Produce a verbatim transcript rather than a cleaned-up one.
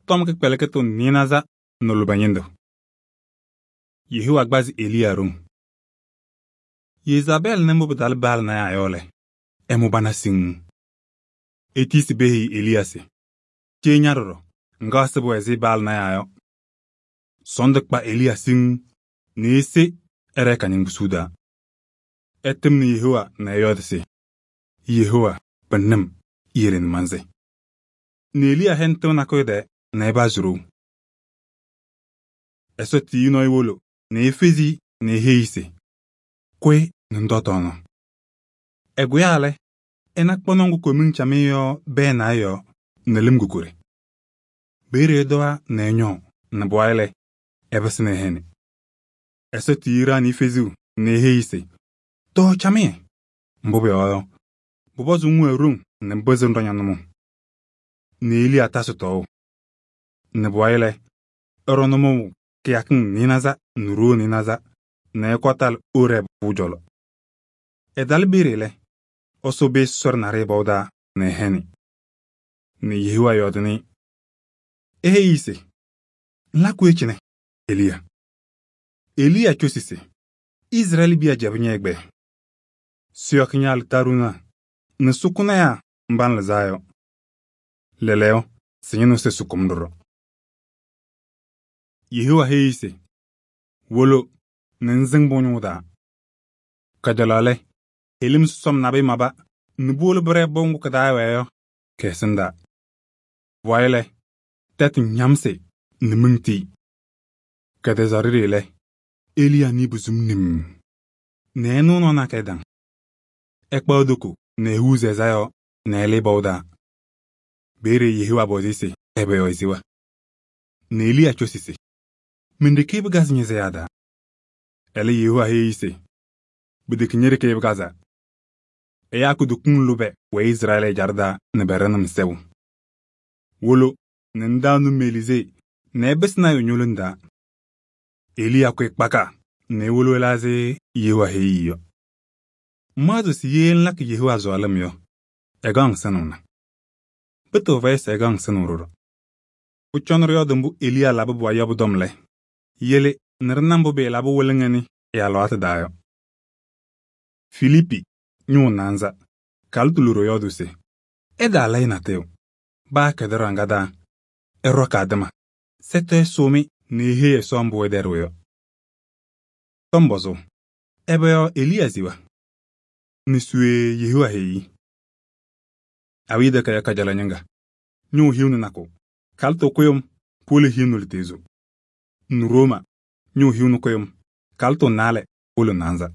tɔm kɩkpɛlɩkɩtʋ nɩɩnaza nɛ lʋbɛ ñɩndʋ. Yehowa gbazi Eliya ɖoŋ. Yezabɛɛlɩ nɩ mbʋ pɩtalɩ Baal nayaa yɔ lɛ, ɛmʋ bana siŋŋ. Etiisi peheyi Eliya se: cee ña ɖɔɖɔ, ŋga ɛsɩbɩ ɛzɩ Baal nayaa yɔ. Sɔɔndʋ kpa Eliya siŋŋ nɛ ese ɛɖɛɛ ka-ñɩŋgbusu taa. Ɛtɩmnɩ Yehowa nɛ ɛyɔɔdɩ se: Yehowa, pɩnɩ-m, yele nɛ mansɩ. Nɛ Eliya hɛnɩ tɩʋ nakʋyʋ tɛɛ nɛ ɛpazɩ ɖou. Ɛsɔ tiyi nɔɔyʋ wolo nɛ efezi-i nɛ eheyi-i se: kʋyɩ nɛ ŋtɔɔ tɔɔnaɣ. Ɛkʋyaa lɛ, ɛna kpɔnɔ ŋgʋ komiŋ camɩyɛ yɔ bɛɛnɩ ɛ-yɔɔ nɛ lɩm kokori. Peeye ɛdɔwa nɛ ɛñɔɔ nɛ pʋwayɩ lɛ, ɛpɩsɩ nɛ ɛhɛnɩ. Ɛsɔ tiyi ɖaɣnɩ feziu nɛ eheyi-i se: tɔɔ camɩyɛ. Mbʋ pʋyɔɔ yɔ, pʋpɔzʋʋ ŋwɛɛ ɖoŋ nɛ ŋpɩzɩ ŋɖɔ ña-nʋmɔʋ. Nɛ Eliya tasɩ tɔɔʋ. Nɛ pʋwayɩ lɛ, ɛɖɔ nʋmɔʋ kɩyakɩŋ nɩɩnaza nɛ ɖoo nɩɩnaza nɛ ɛkɔ talɩ Orɛɛbʋ pʋʋ cɔlɔ. Ɛtalɩ peeye lɛ, ɛsʋ pɩɩsɩ sɔrɩ naɖɩyɛ pɔʋ taa nɛ ɛhɛnɩ. Nɛ Yehowa yɔɔdɩnɩ-ɩ. Eheyi-i se: ŋlakɩ cɩnɛ, Eliya. Eliya cosi se: Izrɛɛlɩ biya jɛbɩ ñɛ-ɛgbɛyɛ. Sɩyɔkɩ ña-alɩtarʋna nɛ sʋkʋnayaa mba ŋlɩzaa yɔ. Lɛɛlɛɛyɔ, sɩ-ñɩnʋ sɩ sʋkʋm ɖɔɖɔ. Yehowa heyi-i se: wolo nɛ ŋsɩŋ mbʋ ñʋʋ taa. Kajalaɣ lɛ, helim sɔsɔm nabɩyɛ maba nɛ puwolo pɩɖɛɛ pʋʋ ŋgʋ kɩ-taa ɛwɛɛ yɔ kɛ-ɛsɩndaa. Pʋwayɩ lɛ, tɛtʋ ñamsɩ nɛ miŋ tiyi. Kɛtɛzaɣ ɖeɖe lɛ, Eliya nɩɩ buzum nim nɛ ɛnʋʋ nɔɔ na kɛ-ɛdaŋ. Ɛkpaɣ toko nɛ ehuuzi ɛza yɔɔ nɛ ɛlɩɩ pɔʋ taa. Peeye Yehowa pɔzɩ-ɩ se ɛbɛ yɔɔ esewa. Nɛ Eliya cosi se: men-ɖeke pɩkazɩ ñɛ-sɛyaa taa. Ɛlɛ Yehowa heyi-i se: pɩtɛkɛ ñe-ɖeke pɩkazaa. Ɛyaa kutokiŋ lʋbɛ wɛ Izrɛɛlɩ ɛjaɖɛ taa nɛ pɛɖɛnɩ-m sɛʋ. Wolo nɛ ŋɖaɣnɩ Melizee nɛ ɛpɩsɩ lɔɔyɩsɩ ñolonɩ taa. Eliya kʋyɩ kpaka nɛ ewolo ɛlɛ ɛzɩ Yehowa heyi-i yɔ. Ŋmaɣzɩ se ye ŋlakɩ Yehowa sɔɔlɩm yɔ, ɛgaɣ-ŋ sɩnʋʋna. Pɩtɩɣa fɛyɩ se ɛgaɣ-ŋ sɩnʋʋ ɖɔɖɔ. Pʋcɔ nɛ ɖɩyɔɔdɩ mbʋ Eliya labɩ pʋwayɩ yɔ pʋ-tɔm lɛ, yele nɛ ɖɩna mbʋ pɩɩlabɩ wɩlɩŋa nɩ ɛ-alɩwaatʋ taa yɔ. Filiipi ñʋʋ naanza, kalɩtʋ loɖo yɔɔdʋʋ se: ɛdaalɛyɩ natʋyʋ, baa kɛdɩ ɖaŋa taa, ɛɖɔ kaadɩma, sɛtʋ ɛsʋʋ-mɩ nɛ eheyi Ɛsɔ mbʋ ɛdɛɖɩɣ yɔ. Tɔm pɔzʋʋ: ɛbɛ yɔɔ Eliya sewa? Nɛ suwee Yehowa heyi-i. Awiya takayaɣ kajalaɣ ñɩŋga, ñʋʋ hiu nɩ nakʋ, kalɩtʋ kʋyʋm, puwolo hiu nɩ lɩtezo. Nɛ Rooma, ñʋʋ hiu nɩ kʋyʋm, kalɩtʋ naalɛ, puwolo naanza.